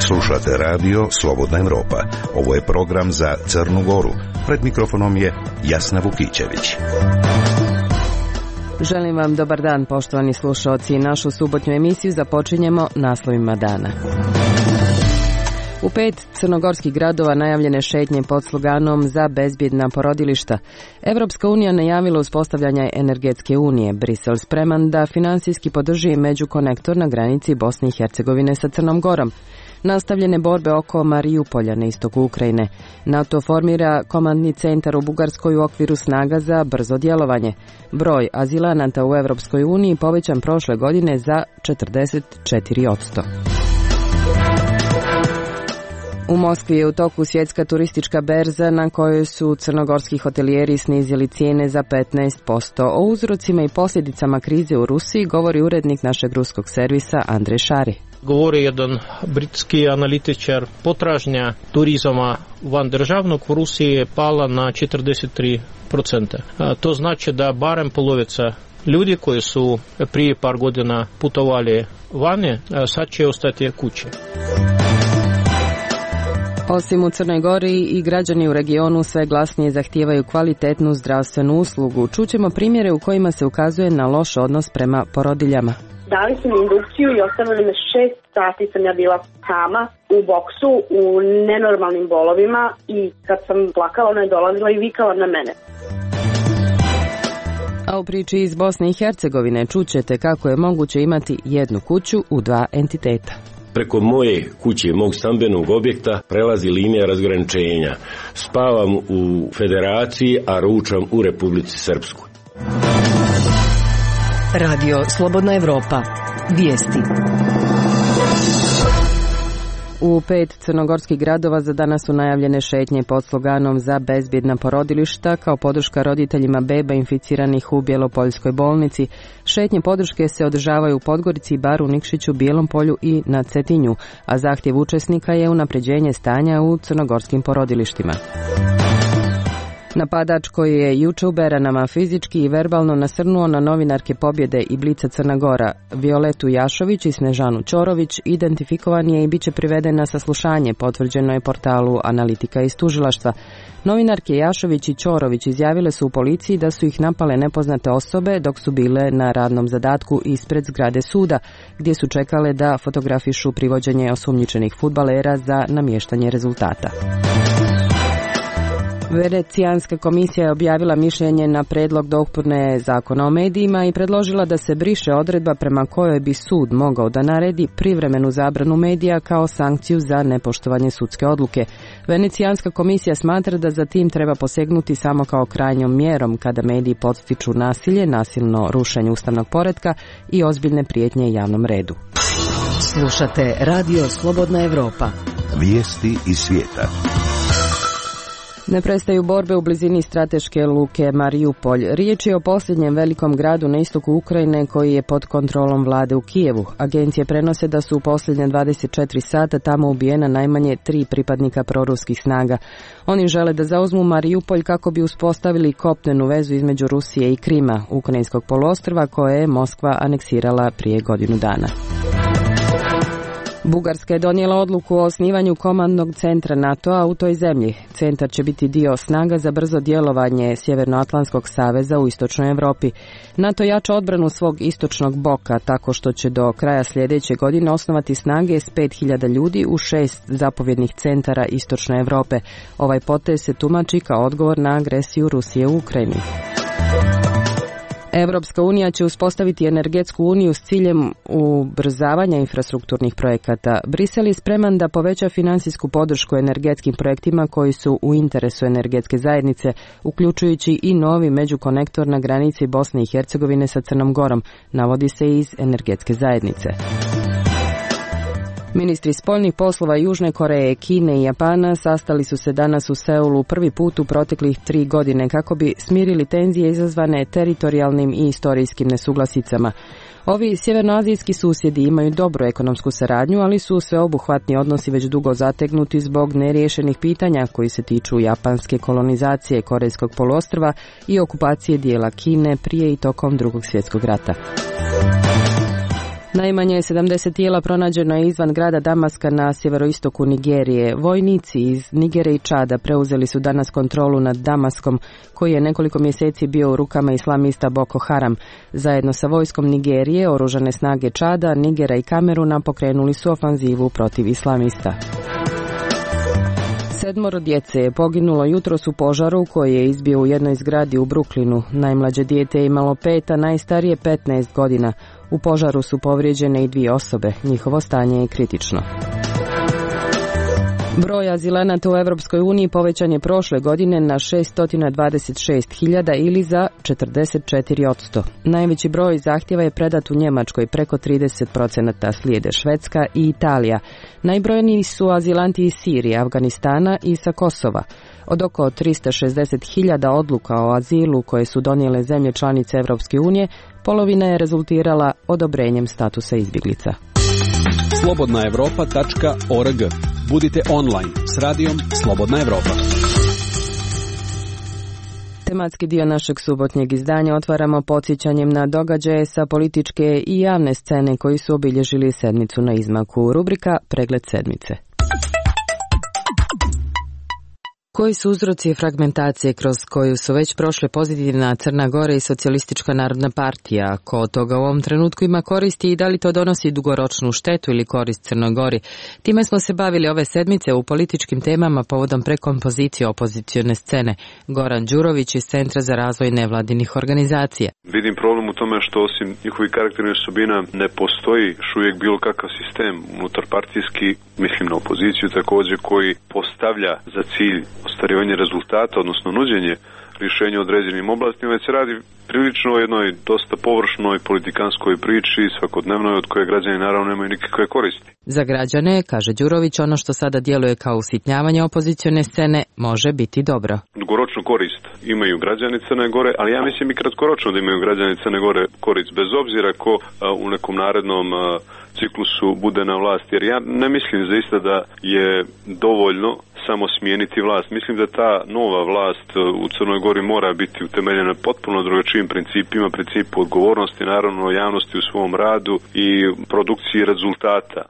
Slušate radio Slobodna Evropa. Ovo je program za Crnu Goru. Pred mikrofonom je Jasna Vukićević. Želim vam dobar dan, poštovani slušaoci. Našu subotnju emisiju započinjemo naslovima dana. U 5 crnogorskih gradova najavljene šetnje pod sloganom za bezbjedna porodilišta. Evropska unija najavila uspostavljanje energetske unije. Brisel spreman da finansijski podrži međukonektor na granici Bosne i Hercegovine sa Crnom Gorom. Nastavljene borbe oko Marijupolja na istoku Ukrajine. NATO formira komandni centar u Bugarskoj u okviru snaga za brzo djelovanje. Broj azilanata u Evropskoj uniji povećan prošle godine za 44%. U Moskvi je u toku svjetska turistička berza na kojoj su crnogorski hotelijeri snizili cijene za 15%. O uzrocima i posljedicama krize u Rusiji govori urednik našeg ruskog servisa Andrej Šari. Govori jedan britski analitičar, potražnja turizama van državnog u Rusiji je pala na 43%. To znači da barem polovica ljudi koji su prije par godina putovali vani, sad će ostati kući. Osim u Crnoj Gori i građani u regionu sve glasnije zahtijevaju kvalitetnu zdravstvenu uslugu. Čućemo primjere u kojima se ukazuje na loš odnos prema porodiljama. Dali su mi indukciju i ostavili me 6 sati sam ja bila sama u boksu u nenormalnim bolovima i kad sam plakala ona je dolazila i vikala na mene. A u priči iz Bosne i Hercegovine čućete kako je moguće imati jednu kuću u 2 entiteta. Preko moje kuće, mog stambenog objekta, prelazi linija razgraničenja. Spavam u Federaciji, a ručam u Republici Srpskoj. Radio Slobodna Evropa. Vijesti. U 5 crnogorskih gradova za danas su najavljene šetnje pod sloganom za bezbjedna porodilišta kao podrška roditeljima beba inficiranih u Bjelopoljskoj bolnici. Šetnje podrške se održavaju u Podgorici, Baru, Nikšiću, Bijelom Polju i na Cetinju, a zahtjev učesnika je unapređenje stanja u crnogorskim porodilištima. Napadač koji je juče u Beranama fizički i verbalno nasrnuo na novinarke Pobjede i Blica Crna Gora, Violetu Jašović i Snežanu Ćorović, identifikovan je i bit će priveden na saslušanje, potvrđeno je portalu Analitika iz tužilaštva. Novinarke Jašović i Ćorović izjavile su u policiji da su ih napale nepoznate osobe dok su bile na radnom zadatku ispred zgrade suda, gdje su čekale da fotografišu privođenje osumnjičenih fudbalera za namještanje rezultata. Venecijanska komisija je objavila mišljenje na predlog dopune zakona o medijima i predložila da se briše odredba prema kojoj bi sud mogao da naredi privremenu zabranu medija kao sankciju za nepoštovanje sudske odluke. Venecijanska komisija smatra da za tim treba posegnuti samo kao krajnjom mjerom kada mediji podstiču nasilje, nasilno rušenje ustavnog poretka i ozbiljne prijetnje javnom redu. Slušate Radio Slobodna Evropa. Vijesti iz svijeta. Ne prestaju borbe u blizini strateške luke Marijupolj. Riječ je o posljednjem velikom gradu na istoku Ukrajine koji je pod kontrolom vlade u Kijevu. Agencije prenose da su u posljednje 24 sata tamo ubijena najmanje 3 pripadnika proruskih snaga. Oni žele da zauzmu Marijupolj kako bi uspostavili kopnenu vezu između Rusije i Krima, ukrajinskog poluostrva koje je Moskva aneksirala prije godinu dana. Bugarska je donijela odluku o osnivanju komandnog centra NATO-a u toj zemlji. Centar će biti dio snaga za brzo djelovanje Sjevernoatlantskog saveza u istočnoj Europi. NATO jača odbranu svog istočnog boka tako što će do kraja sljedeće godine osnovati snage s 5000 ljudi u 6 zapovjednih centara istočne Europe. Ovaj potez se tumači kao odgovor na agresiju Rusije u Ukrajini. Europska unija će uspostaviti energetsku uniju s ciljem ubrzavanja infrastrukturnih projekata. Brisel je spreman da poveća financijsku podršku energetskim projektima koji su u interesu energetske zajednice, uključujući i novi međukonektor na granici Bosne i Hercegovine sa Crnom Gorom, navodi se iz energetske zajednice. Ministri spoljnih poslova Južne Koreje, Kine i Japana sastali su se danas u Seulu prvi put u proteklih 3 godine kako bi smirili tenzije izazvane teritorijalnim i istorijskim nesuglasicama. Ovi sjevernoazijski susjedi imaju dobru ekonomsku saradnju, ali su sveobuhvatni odnosi već dugo zategnuti zbog neriješenih pitanja koji se tiču japanske kolonizacije Korejskog poluostrva i okupacije dijela Kine prije i tokom Drugog svjetskog rata. Najmanje 70 tijela pronađeno je izvan grada Damaska na sjeveroistoku Nigerije. Vojnici iz Nigere i Čada preuzeli su danas kontrolu nad Damaskom, koji je nekoliko mjeseci bio u rukama islamista Boko Haram. Zajedno sa vojskom Nigerije, oružane snage Čada, Nigera i Kameruna pokrenuli su ofanzivu protiv islamista. 7 djece je poginulo jutros u požaru koji je izbio u jednoj zgradi u Brooklynu. Najmlađe dijete je imalo 5, a najstarije 15 godina. U požaru su povrijeđene i 2 osobe. Njihovo stanje je kritično. Broj azilanata u Europskoj uniji povećan je prošle godine na 626.000 ili za 44%. Najveći broj zahtjeva je predat u Njemačkoj, preko 30%, slijede Švedska i Italija. Najbrojniji su azilanti iz Sirije, Afganistana i sa Kosova. Od oko 360.000 odluka o azilu koje su donijele zemlje članice Europske unije, polovina je rezultirala odobrenjem statusa izbjeglica. slobodnaevropa.org. Budite online s radijom Slobodna Evropa. Tematski dio našeg subotnjeg izdanja otvaramo podsjećanjem na događaje sa političke i javne scene koji su obilježili sedmicu na izmaku. Rubrika Pregled sedmice. Koji su uzroci fragmentacije kroz koju su već prošle pozitivna Crna Gora i Socijalistička narodna partija? Ko od toga u ovom trenutku ima koristi i da li to donosi dugoročnu štetu ili korist Crnoj Gori? Time smo se bavili ove sedmice u političkim temama povodom prekompozicije opozicione scene. Goran Đurović iz Centra za razvoj nevladinih organizacija. Vidim problem u tome što osim njihovih karakternih osobina ne postoji još uvijek bilo kakav sistem unutar partijski, mislim na opoziciju također, koji postavlja za cilj ostvarivanje rezultata, odnosno nuđenje rješenja u određenim oblastima, već se radi prilično o jednoj dosta površnoj politikanskoj priči svakodnevnoj od koje građani naravno nemaju nikakve koristi. Za građane, kaže Đurović, ono što sada djeluje kao usitnjavanje opozicione scene može biti dobro. Dugoročnu korist imaju građani Crne Gore, ali ja mislim i kratkoročno da imaju građani Crne Gore korist, bez obzira ko u nekom narednom ciklusu bude na vlast, jer ja ne mislim zaista da je dovoljno samo smijeniti vlast. Mislim da ta nova vlast u Crnoj Gori mora biti utemeljena potpuno drugačijim principima, principu odgovornosti, naravno javnosti u svom radu i produkciji rezultata.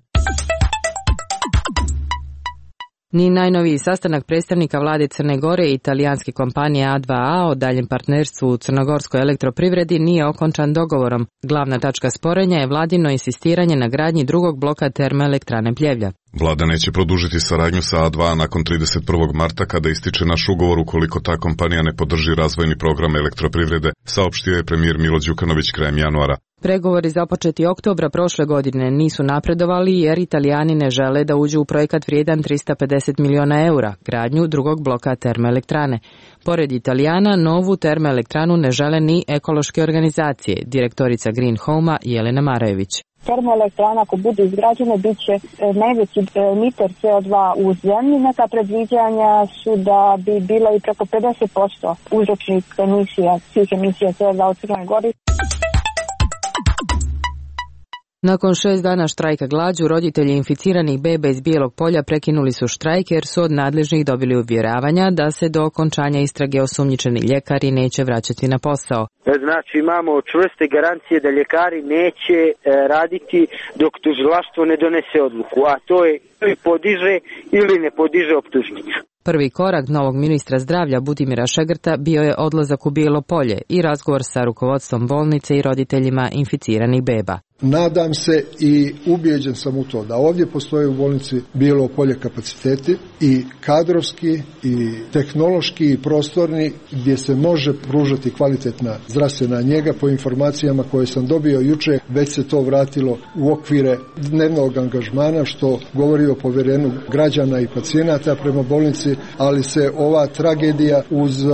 Ni najnoviji sastanak predstavnika vlade Crne Gore i italijanske kompanije A2A o daljem partnerstvu u crnogorskoj elektroprivredi nije okončan dogovorom. Glavna tačka sporenja je vladino insistiranje na gradnji drugog bloka termoelektrane Pljevlja. Vlada neće produžiti saradnju sa A2 nakon 31. marta kada ističe naš ugovor ukoliko ta kompanija ne podrži razvojni program elektroprivrede, saopštio je premijer Milo Đukanović krajem januara. Pregovori započeti oktobra prošle godine nisu napredovali jer Italijani ne žele da uđu u projekat vrijedan 350 miliona eura, gradnju drugog bloka termoelektrane. Pored Italijana, novu termoelektranu ne žele ni ekološke organizacije, direktorica Green Home-a Jelena Marajević. Termoelektrana ako budu izgrađene bit će najveći emiter CO2 u zemlji. Neka predviđanja su da bi bilo i preko 50% uzročnih emisija, svih emisija CO2 u Crnoj Gori. Nakon 6 dana štrajka glađu, roditelji inficiranih beba iz Bijelog Polja prekinuli su štrajk jer su od nadležnih dobili uvjeravanja da se do okončanja istrage osumnjičeni ljekari neće vraćati na posao. Znači imamo čvrste garancije da ljekari neće raditi dok tužilaštvo ne donese odluku, a to je ili podiže ili ne podiže optužnicu. Prvi korak novog ministra zdravlja Budimira Šegrta bio je odlazak u Bijelo Polje i razgovor sa rukovodstvom bolnice i roditeljima inficiranih beba. Nadam se i ubijeđen sam u to da ovdje postoje u bolnici Bijelo Polje kapaciteti i kadrovski i tehnološki i prostorni gdje se može pružati kvalitetna zdravstvena njega. Po informacijama koje sam dobio jučer već se to vratilo u okvire dnevnog angažmana što govori o povjerenju građana i pacijenata prema bolnici, ali se ova tragedija uz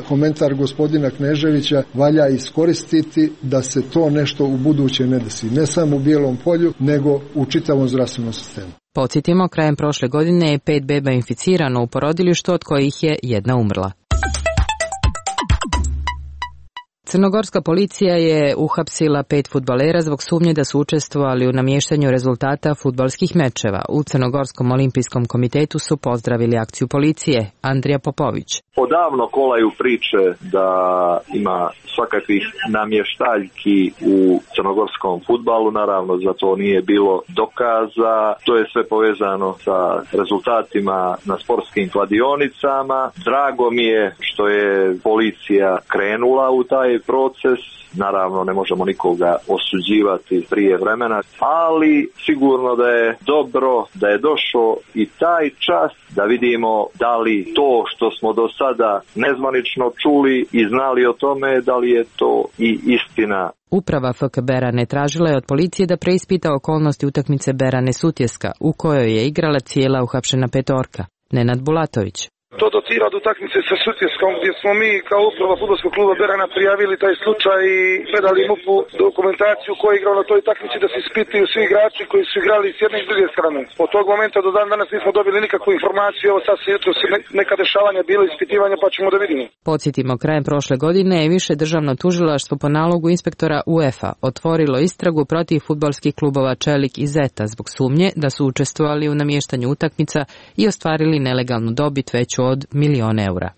komentar gospodina Kneževića valja iskoristiti da se to nešto u buduće ne desi. Ne samo u Bijelom Polju, nego u čitavom zdravstvenom sistemu. Podsjetimo, krajem prošle godine je 5 beba inficirano u porodilištu, od kojih je 1 umrla. Crnogorska policija je uhapsila 5 fudbalera zbog sumnje da su učestvovali u namještanju rezultata fudbalskih mečeva. U Crnogorskom olimpijskom komitetu su pozdravili akciju policije. Andrija Popović. Odavno kolaju priče da ima svakakvih namještaljki u crnogorskom fudbalu, naravno za to nije bilo dokaza. To je sve povezano sa rezultatima na sportskim kladionicama. Drago mi je što je policija krenula u taj proces. Naravno ne možemo nikoga osuđivati prije vremena, ali sigurno da je dobro da je došao i taj čas da vidimo da li to što smo do sada nezvanično čuli i znali o tome, da li je to i istina. Uprava FK Berane tražila je od policije da preispita okolnosti utakmice Berane Sutjeska, u kojoj je igrala cijela uhapšena petorka. Nenad Bulatović. To dotira od utakmice sa Sutjeskom, gdje smo mi kao uprava fudbalskog kluba Berana prijavili taj slučaj i predali MUP-u dokumentaciju koja je igrao na toj utakmici da se ispituju svi igrači koji su igrali s jedne i s druge strane. Od tog momenta do dan danas nismo dobili nikakvu informaciju, evo sad se jutro neka dešavanja bilo ispitivanja pa ćemo da vidimo. Podsjetimo, krajem prošle godine je više državno tužilaštvo po nalogu inspektora UEFA otvorilo istragu protiv fudbalskih klubova Čelik i Zeta zbog sumnje da su učestvovali u namještanju utakmica i ostvarili nelegalnu dobit veću od €1.000.000.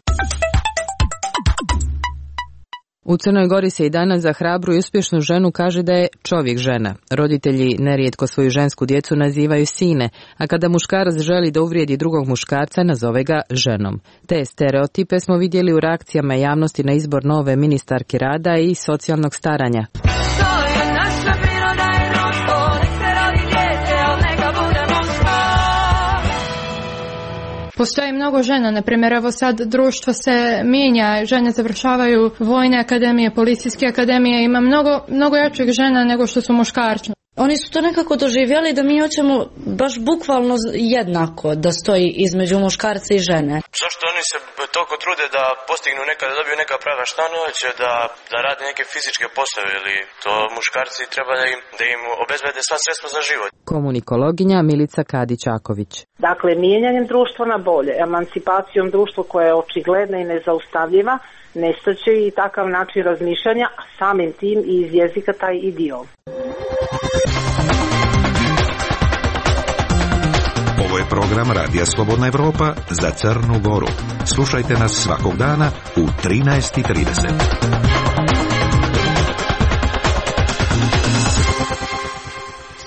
U Crnoj Gori se i danas za hrabru i uspješnu ženu kaže da je čovjek žena. Roditelji nerijetko svoju žensku djecu nazivaju sine, a kada muškarac želi da uvrijedi drugog muškarca, nazove ga ženom. Te stereotipe smo vidjeli u reakcijama javnosti na izbor nove ministarke rada i socijalnog staranja. Postoji mnogo žena, na primjer, evo sad društvo se mijenja, žene završavaju vojne akademije, policijske akademije, ima mnogo jačih žena nego što su muškarci. Oni su to nekako doživjeli da mi hoćemo baš bukvalno jednako da stoji između muškarca i žene. Zašto oni se toliko trude da postignu da dobiju neka prava, šta ne hoće da rade neke fizičke poslove ili to muškarci treba da im obezbede sva sredstva za život. Komunikologinja Milica Kadić-Aković. Dakle, mijenjanjem društva na bolje, emancipacijom društva koja je očigledna i nezaustavljiva, nestaće i takav način razmišljanja, a samim tim i iz jezika taj idiom. Ovo je program Radija Slobodna Evropa za Crnu Goru. Slušajte nas svakog dana u 13:30.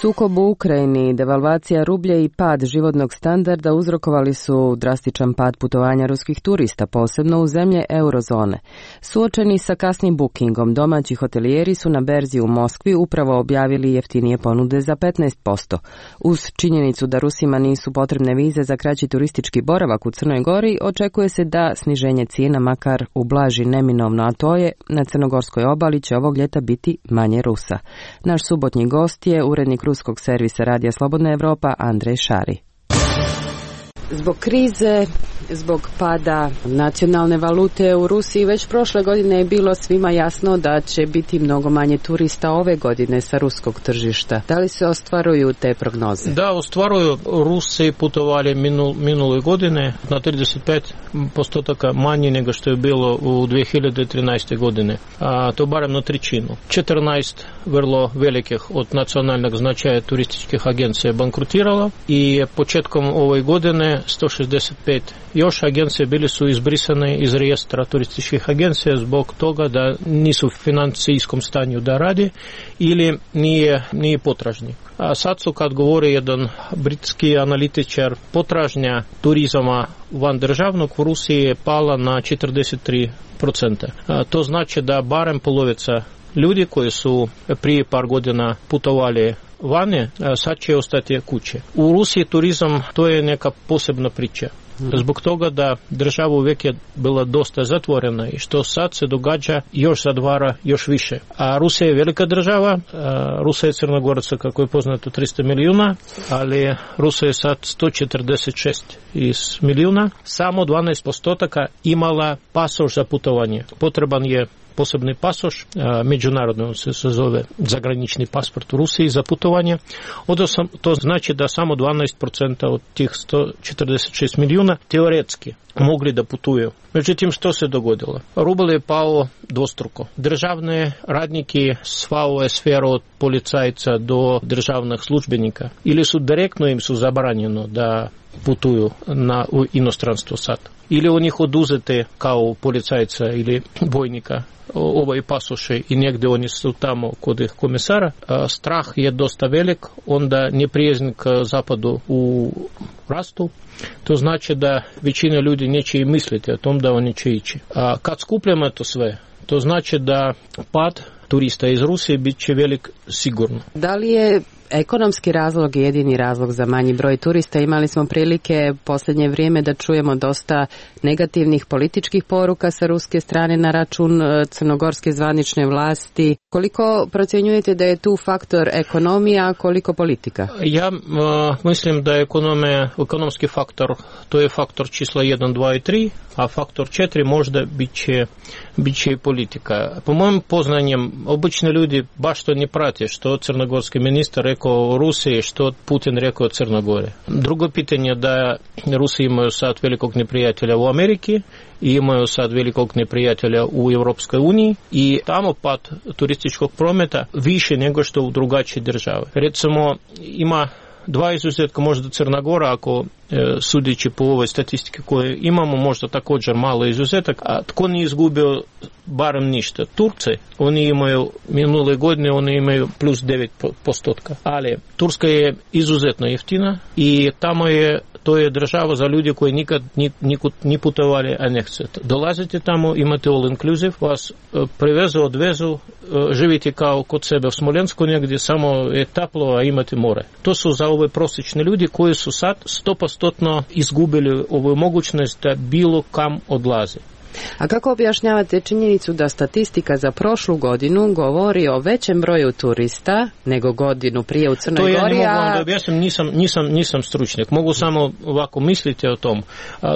Sukob u Ukrajini, devalvacija rublja i pad životnog standarda uzrokovali su drastičan pad putovanja ruskih turista, posebno u zemlje eurozone. Suočeni sa kasnim bookingom, domaći hotelijeri su na berzi u Moskvi upravo objavili jeftinije ponude za 15%. Uz činjenicu da Rusima nisu potrebne vize za kraći turistički boravak u Crnoj Gori, očekuje se da sniženje cijena makar ublaži neminovno, a to je na crnogorskoj obali će ovog ljeta biti manje Rusa. Naš subotnji gost je urednik ruskog servisa Radija Slobodna Evropa Andrej Šari. Zbog krize, zbog pada nacionalne valute u Rusiji, već prošle godine je bilo svima jasno da će biti mnogo manje turista ove godine sa ruskog tržišta. Da li se ostvaruju te prognoze? Da, ostvaruju. Rusi putovali minule godine na 35% manje nego što je bilo u 2013. godine. A to barem na trećinu. 14 vrlo velikih od nacionalnog značaja turističkih agencija bankrutiralo i početkom ove godine 165 još agencije bili su izbrisane iz registra turističkih agencija zbog toga da nisu u financijskom stanju da radi ili nije potražni. A sad su, kad govori jedan britski analitičar, potražnja turizama van državnog u Rusiji je pala na 43%. To znači da barem polovica ljudi koji su prije par godina putovali vani, sad će ostati kuće. U Rusiji turizam to je neka posebna priča. Zbog toga da država uvijek je bila dosta zatvorena i što sad se događa još zatvara još više. A Rusija je velika država, Rusija je Crnogoraca, kako je poznato, 300 milijuna, ali Rusija je sad 146 milijuna. Samo 12% imala pasoš za putovanje. Potreban je posebni pasoš, međunarodno on se zove zagranični pasport u Rusiji za putovanje. To znači da samo 12% od tih 146 milijuna teoretski mogli da putuju. Međutim, što se dogodilo? Rubl je pao dvostruko. Državne radnike, sva ova sfera od policajca do državnih službenika, ili su direktno im su zabranjeno da putuju u inostranstvo sad. Ili u njih oduzete kao policajca ili vojnika ovaj pasoše i negdje oni su tamo kod komisara. Strah je dosta velik, onda neprijazn k zapadu u rastu. To znači da većina ljudi neće i misliti o tom da oni će ići. A kad skupljamo to sve, to znači da pad turista iz Rusije bit će velik sigurno. Da li je ekonomski razlog jedini razlog za manji broj turista? Imali smo prilike posljednje vrijeme da čujemo dosta negativnih političkih poruka sa ruske strane na račun crnogorske zvanične vlasti. Koliko procjenjujete da je tu faktor ekonomija, a koliko politika? Ja mislim da je ekonomski faktor, to je faktor čisla 1, 2 i 3, a faktor 4 možda bit će i politika. Po mojim poznanjem, obični ljudi baš to ne prate što crnogorski ministar rekao o Rusiji, što Putin rekao o Crnogore. Drugo pitanje da Rusi imaju sad velikog neprijatelja u Ameriki i imaju sad velikog neprijatelja u Europskoj uniji i tamo pad turističkog prometa više nego što u drugačije države. Recimo, ima dva izuzetka, možda Crna Gora, ako sudeći po ovoj statistike koje imamo, možda također malo izuzetak, a tko nije izgubio barem ništa? Turci, oni imaju minule godine, oni imaju plus 9%, ali Turska je izuzetno jeftina i tamo to je država za ljudi koji nikad ni putovali, a ne chcete. Dolazite tamo, imate all inclusive, vas prevezu, odvezu, živite kao kod sebe u Smolensku negdje, samo je toplo, a imate more. To su za ove prosječne ljudi koji su sad 100% izgubili ovu mogućnost da bilo kam odlaze. A kako objašnjavate činjenicu da statistika za prošlu godinu govori o većem broju turista nego godinu prije u Crnoj Gori? To ja ne mogu vam da objasnim, nisam stručnjak. Mogu samo ovako misliti o tom.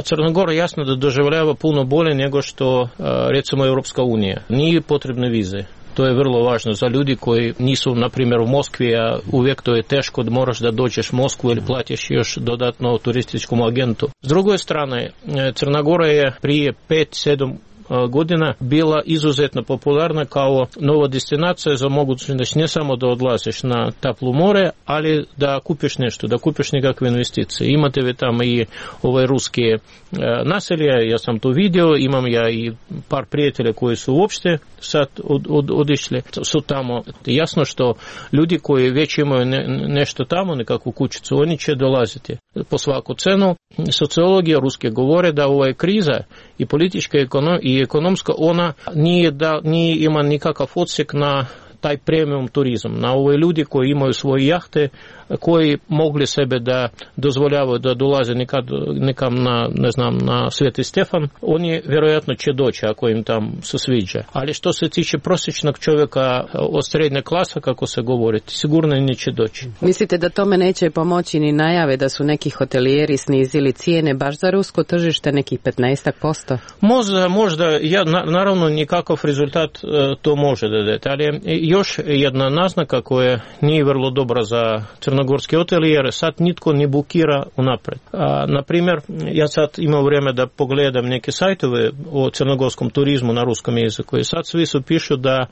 Crna Gora jasno da doživljava puno bolje nego što recimo Europska unija. Nije potrebne vize. To je vrlo važno za ljudi koji nisu, na primjer, u Moskvi, a uvijek to je teško da moraš da dođeš u Moskvu ili platiš još dodatno turističkom agentu. S druge strane, Crna Gora je prije 5-7 godina bila izuzetno popularna kao nova destinacija za mogućnost ne samo da odlaziš na toplo more, ali da kupiš nešto, da kupiš nekakve investicije. Imate vi tamo i ove ruske naselje, ja sam to vidio, imam ja i par prijatelja koji su uopšte sad odišli, su tamo. Jasno što ljudi koji već imaju nešto tamo, nekakvu kućicu, oni će dolaziti po svaku cenu. Sociologija ruske govore da ova kriza i politička i ekonomska, ona nije ima nikakav odsjek na taj premium turizam, na ove ljudi koji imaju svoje jahte, koji mogli sebe da dozvoljavaju da dolaze nekam na Sveti Stefan, oni vjerojatno će doći ako im tam se sviđa. Ali što se tiče prosječnog čovjeka od srednje klasa, kako se govori, sigurno neće doći. Mislite da tome neće pomoći ni najave da su neki hotelijeri snizili cijene baš za rusko tržište, nekih 15%? Možda, naravno nikakav rezultat to može da dati, ali još jedna naznaka koja nije vrlo dobra za crnogorske hotelijere, sad nitko ne bukira unapred. Na primjer, ja sad imam vrijeme da pogledam neke sajtove o crnogorskom turizmu na ruskom jeziku i sad svi su pišu da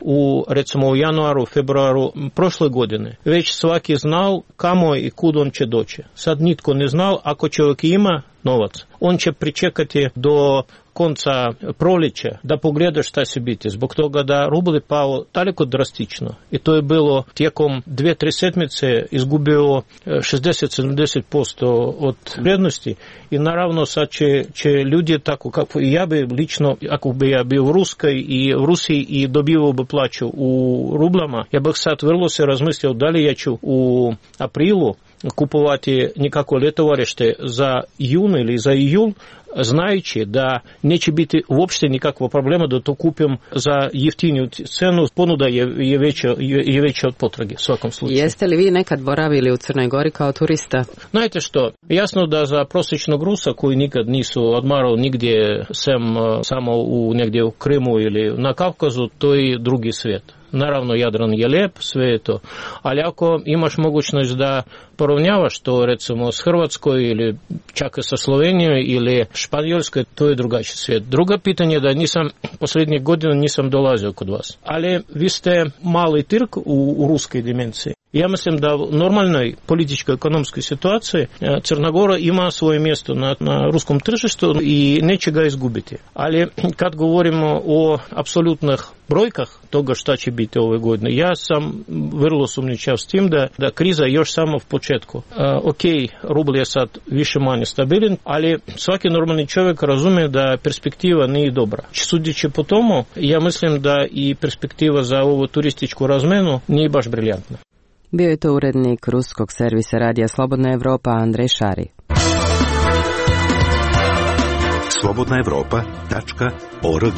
recimo u januaru, februaru prošle godine već svaki znao kamo i kud on će doći. Sad nitko ne znao, ako čovjek ima novac, on će pričekati do konca proljeća da pogleda šta će biti. Zbog toga da rubl je pao daleko drastično i to je bilo tijekom 2-3 sedmice izgubio 60-70% od vrijednosti i naravno sad će ljudi tako kako i ja bi lično, ako bi ja bio u Rusiji i dobivao bi plaću u rublama, ja bih sad vrlo se razmislio da li ja ću u aprilu kupovati nekako ljetovarište za jun ili za jul znajući da neće biti uopšte nikakva problema da to kupim za jeftiniju cenu, ponuda je veća od potrage u svakom slučaju. Jeste li vi nekad boravili u Crnoj Gori kao turista? Znate što, jasno da za prosječnog Rusa koji nikad nisu odmarali nigdje samo negdje u Krimu ili na Kavkazu, to je drugi svijet. Naravno, Jadran je lijep, sve je to. Ali ako imaš mogućnost da poravnjavaš to recimo s Hrvatskoj ili čak sa Slovenijom ili Španjolskoj, to je drugačiji svijet. Druga pitanje je da posljednjih godina nisam dolazio kod vas. Ali vi ste mali Tirk u ruskoj dimenziji. Ja mislim da u normalnoj političkoj ekonomskoj situaciji Crna Gora ima svoje mjesto na ruskom tržištu i neće ga izgubiti. Ali kad govorimo o apsolutnih brojkah toga šta će biti ove godine, ja sam vrlo sumnjičav s tim da kriza još samo v početku. Rubl je sad više manje stabilan, ali svaki normalni čovjek razumije da perspektiva nije dobra. Sudeći po tomu, ja mislim da i perspektiva za ovu turističku razmenu nije baš briljantna. Bio je to urednik ruskog servisa Radija Slobodna Evropa Andrej Šari. slobodnaevropa.org.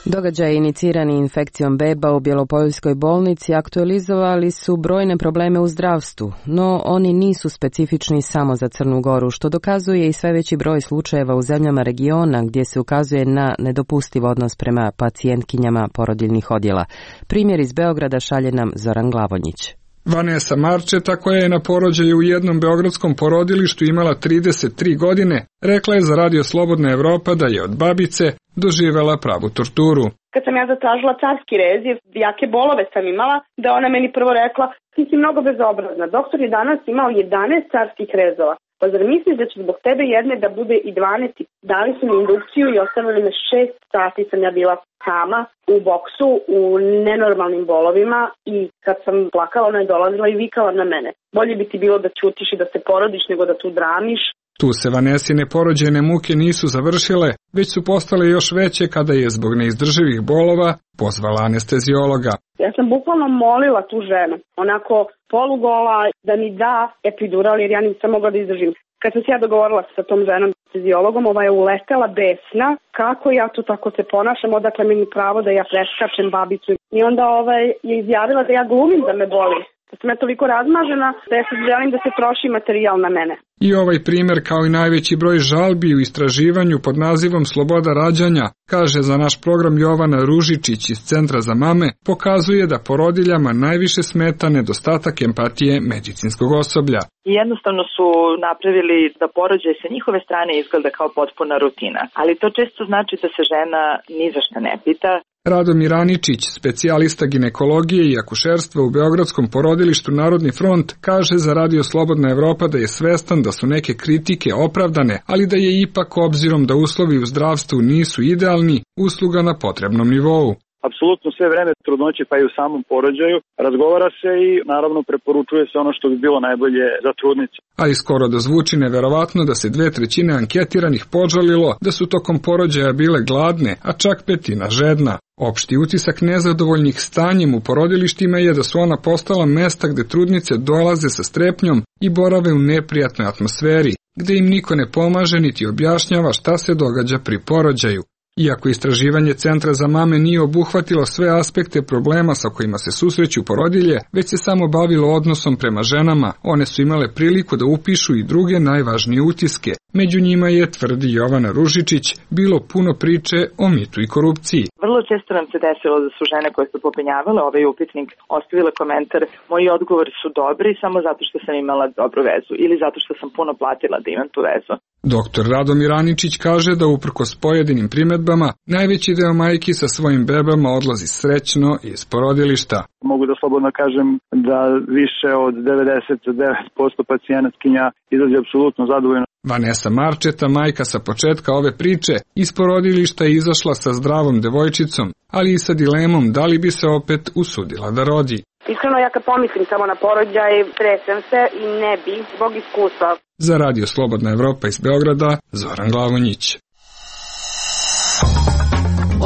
Događaji inicirani infekcijom beba u Bjelopoljskoj bolnici aktualizovali su brojne probleme u zdravstvu, no oni nisu specifični samo za Crnu Goru, što dokazuje i sve veći broj slučajeva u zemljama regiona gdje se ukazuje na nedopustiv odnos prema pacijentkinjama porodiljnih odjela. Primjer iz Beograda šalje nam Zoran Glavonjić. Vanessa Marčeta, koja je na porođaju u jednom beogradskom porodilištu imala 33 godine, rekla je za Radio Slobodna Evropa da je od babice doživela pravu torturu. Kad sam ja zatražila carski rez, jake bolove sam imala, da ona meni prvo rekla, ti si mnogo bezobrazna, doktor je danas imao 11 carskih rezova. Pa zar misliš da će zbog tebe jedne da bude i 12? Dali su mi indukciju i ostavili me 6 sati sam ja bila sama u boksu u nenormalnim bolovima i kad sam plakala ona je dolazila i vikala na mene. Bolje bi ti bilo da ćutiš i da se porodiš nego da tu dramiš. Tu se Vanesine porođajne muke nisu završile, već su postale još veće kada je zbog neizdrživih bolova pozvala anesteziologa. Ja sam bukvalno molila tu ženu, onako polugola, da mi da epidural jer ja nisam mogla da izdržim. Kad sam se ja dogovorila sa tom ženom anesteziologom, ova je uletela besna, kako ja tu tako se ponašam, odakle meni pravo da ja preskačem babicu. I onda je izjavila da ja glumim da me boli. Da sam ja toliko razmažena da ja sad želim da se troši materijal na mene. I ovaj primjer, kao i najveći broj žalbi u istraživanju pod nazivom Sloboda rađanja, kaže za naš program Jovana Ružičić iz Centra za mame, pokazuje da porodiljama najviše smeta nedostatak empatije medicinskog osoblja. I jednostavno su napravili da porođaj sa njihove strane izgleda kao potpuna rutina, ali to često znači da se žena ni za šta ne pita. Radomir Aničić, specijalista ginekologije i akušerstva u beogradskom porodilištu Narodni front, kaže za Radio Slobodna Evropa da je svestan da su neke kritike opravdane, ali da je ipak, obzirom da uslovi u zdravstvu nisu idealni, usluga na potrebnom nivou. Apsolutno sve vreme trudnoće pa i u samom porođaju razgovara se i naravno preporučuje se ono što bi bilo najbolje za trudnicu. Ali skoro da zvuči neverovatno da se 2/3 anketiranih požalilo da su tokom porođaja bile gladne, a čak 1/5 žedna. Opšti utisak nezadovoljnih stanjem u porodilištima je da su ona postala mesta gde trudnice dolaze sa strepnjom i borave u neprijatnoj atmosferi, gde im niko ne pomaže niti objašnjava šta se događa pri porođaju. Iako istraživanje Centra za mame nije obuhvatilo sve aspekte problema sa kojima se susreću porodilje, već se samo bavilo odnosom prema ženama, one su imale priliku da upišu i druge najvažnije utiske. Među njima je, tvrdi Jovana Ružičić, bilo puno priče o mitu i korupciji. Vrlo često nam se desilo da su žene koje su popunjavale ovaj upitnik ostavile komentar: moji odgovori su dobri samo zato što sam imala dobru vezu ili zato što sam puno platila da imam tu vezu. Doktor Radomir Aničić kaže da uprkos pojedinim primedbama, najveći deo majki sa svojim bebama odlazi srećno iz porodilišta. Mogu da slobodno kažem da više od 99% pacijentkinja izađe apsolutno zadovoljno. Vanessa Marčeta, majka sa početka ove priče, iz porodilišta je izašla sa zdravom devojčicom, ali i sa dilemom da li bi se opet usudila da rodi. Iskreno, ja kad pomislim samo na porođaj, tresem se i ne bi, zbog iskustva. Za Radio Slobodna Evropa iz Beograda, Zoran Glavonjić.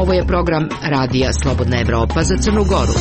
Ovo je program Radija Slobodna Evropa za Crnu Goru.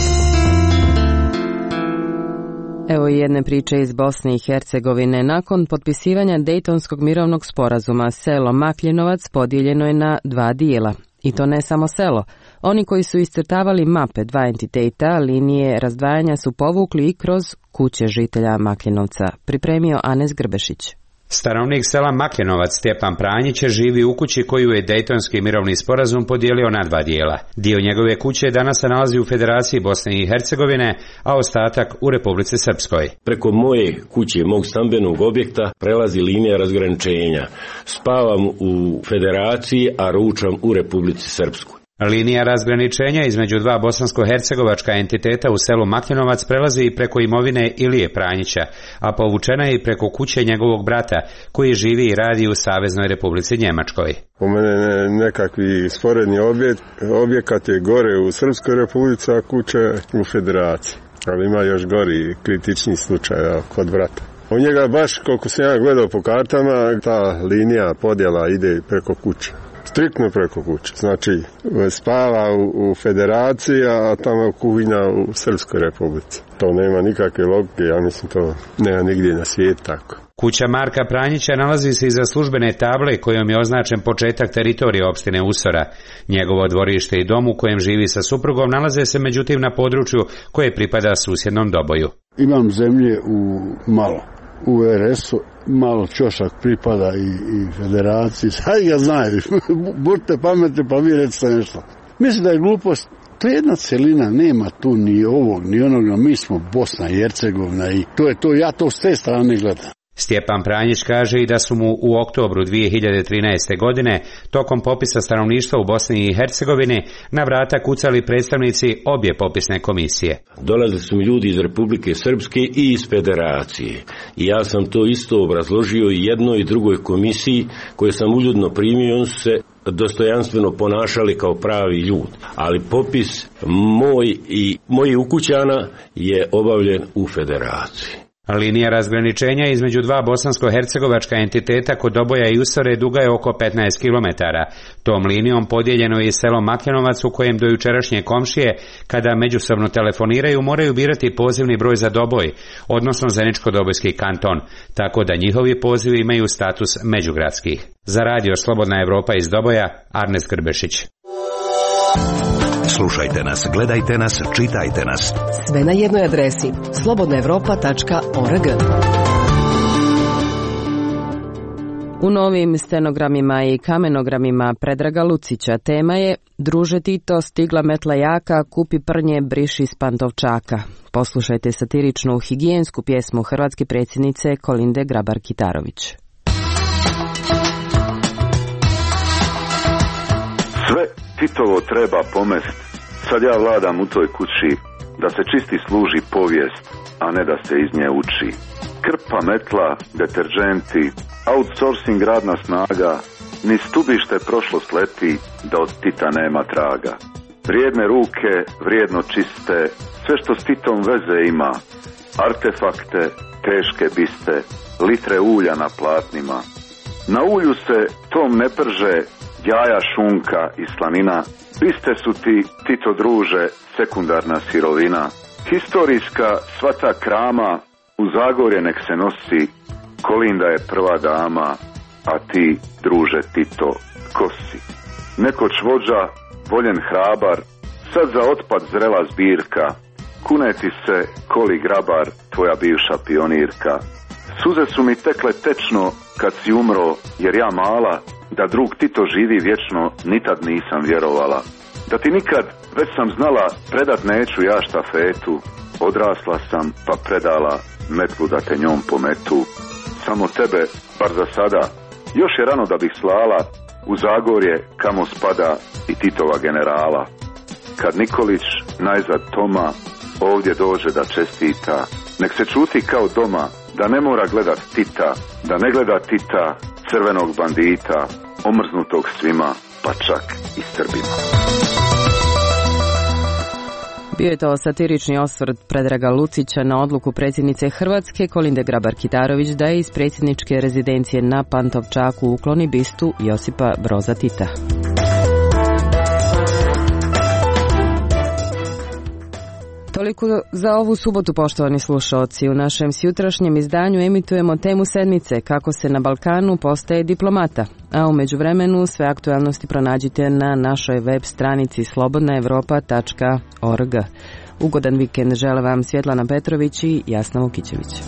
Evo i jedne priče iz Bosne i Hercegovine. Nakon potpisivanja Dejtonskog mirovnog sporazuma, selo Makljenovac podijeljeno je na 2 dijela. I to ne samo selo. Oni koji su iscrtavali mape 2 entiteta, linije razdvajanja su povukli i kroz kuće žitelja Makljenovca. Pripremio Anes Grbešić. Stanovnik sela Makljenovac Stjepan Pranjić živi u kući koju je Dejtonski mirovni sporazum podijelio na 2 dijela. Dio njegove kuće danas se nalazi u Federaciji Bosne i Hercegovine, a ostatak u Republici Srpskoj. Preko moje kuće, mog stambenog objekta, prelazi linija razgraničenja. Spavam u Federaciji, a ručam u Republici Srpskoj. Linija razgraničenja između 2 bosansko-hercegovačka entiteta u selu Makljenovac prelazi i preko imovine Ilije Pranjića, a povučena je i preko kuće njegovog brata, koji živi i radi u Saveznoj Republici Njemačkoj. U mene nekakvi sporedni objekat je gore u Srpskoj Republici, a kuća u Federaciji. Ali ima još gori kritični slučaj kod brata. U njega baš, koliko sam ja gledao po kartama, ta linija podjela ide preko kuće. Striktno preko kuće. Znači, spava u Federaciji, a tamo kuhinja u Srpskoj Republici. To nema nikakve logike, ja mislim to nema nigdje na svijetu tako. Kuća Marka Pranjića nalazi se iza službene table kojom je označen početak teritorije opštine Usora. Njegovo dvorište i dom u kojem živi sa suprugom nalaze se međutim na području koje pripada susjednom Doboju. Imam zemlje malo. U RS-u malo ćošak pripada i Federaciji, sad ga znaju, budite pametni pa vi recite nešto. Mislim da je glupost, to je jedna celina, nema tu ni ovog ni onoga, mi smo Bosna i Hercegovina i to je to, ja to s te strane gledam. Stjepan Pranjić kaže i da su mu u oktobru 2013. godine tokom popisa stanovništva u Bosni i Hercegovini na vrata kucali predstavnici obje popisne komisije. Dolazili su mi ljudi iz Republike Srpske i iz Federacije. I ja sam to isto obrazložio i jednoj i drugoj komisiji koje sam uljudno primio, oni su se dostojanstveno ponašali kao pravi ljudi. Ali popis moj i mojih ukućana je obavljen u Federaciji. Linija razgraničenja između 2 bosansko-hercegovačka entiteta kod Doboja i Usore duga je oko 15 km. Tom linijom podijeljeno je i selo Makljenovac u kojem do jučerašnje komšije, kada međusobno telefoniraju, moraju birati pozivni broj za Doboj, odnosno Zeničko-Dobojski kanton, tako da njihovi pozivi imaju status međugradskih. Za radio Slobodna Evropa iz Doboja, Arnes Grbešić. Slušajte nas, gledajte nas, čitajte nas. Sve na jednoj adresi slobodnaevropa.org. U novim stenogramima i kamenogramima Predraga Lucića tema je Druže Tito, stigla metla jaka, kupi prnje, briši s Pantovčaka. Poslušajte satiričnu higijensku pjesmu hrvatske predsjednice Kolinde Grabar-Kitarović. Sve Titovo treba pomest, sad ja vladam u toj kući, da se čisti služi povijest, a ne da se iz nje uči. Krpa, metla, deterđenti, outsourcing radna snaga, ni stubište prošlost leti, da od Tita nema traga. Vrijedne ruke, vrijedno čiste, sve što s Titom veze ima, artefakte, teške biste, litre ulja na platnima. Na ulju se tom ne prže jaja, šunka i slanina, biste su ti, Tito druže, sekundarna sirovina. Historijska sva ta krama u Zagorje nek se nosi, Kolinda je prva dama, a ti, druže Tito, ko si? Nekoć vođa, voljen hrabar, sad za otpad zrela zbirka, kuneti se, Koli Grabar, tvoja bivša pionirka. Suze su mi tekle tečno kad si umro, jer ja mala, da drug Tito živi vječno, nitad nisam vjerovala. Da ti nikad, već sam znala, predat neću ja štafetu, odrasla sam pa predala metlu da te njom pometu. Samo tebe, bar za sada, još je rano da bih slala u Zagorje kamo spada i Titova generala. Kad Nikolić, najzad Toma, ovdje dođe da čestita, nek se čuti kao doma, da ne mora gledat Tita, da ne gleda Tita, crvenog bandita, omrznutog svima, pa čak i Srbima. Bio je to satirični osvrt Predraga Lucića na odluku predsjednice Hrvatske Kolinde Grabar-Kitarović da je iz predsjedničke rezidencije na Pantovčaku ukloni bistu Josipa Broza Tita. To Toliko za ovu subotu, poštovani slušaoci. U našem sjutrašnjem izdanju emitujemo temu sedmice kako se na Balkanu postaje diplomata. A u međuvremenu sve aktualnosti pronađite na našoj web stranici slobodnaevropa.org. Ugodan vikend žele vam Svjetlana Petrović i Jasna Vukićević.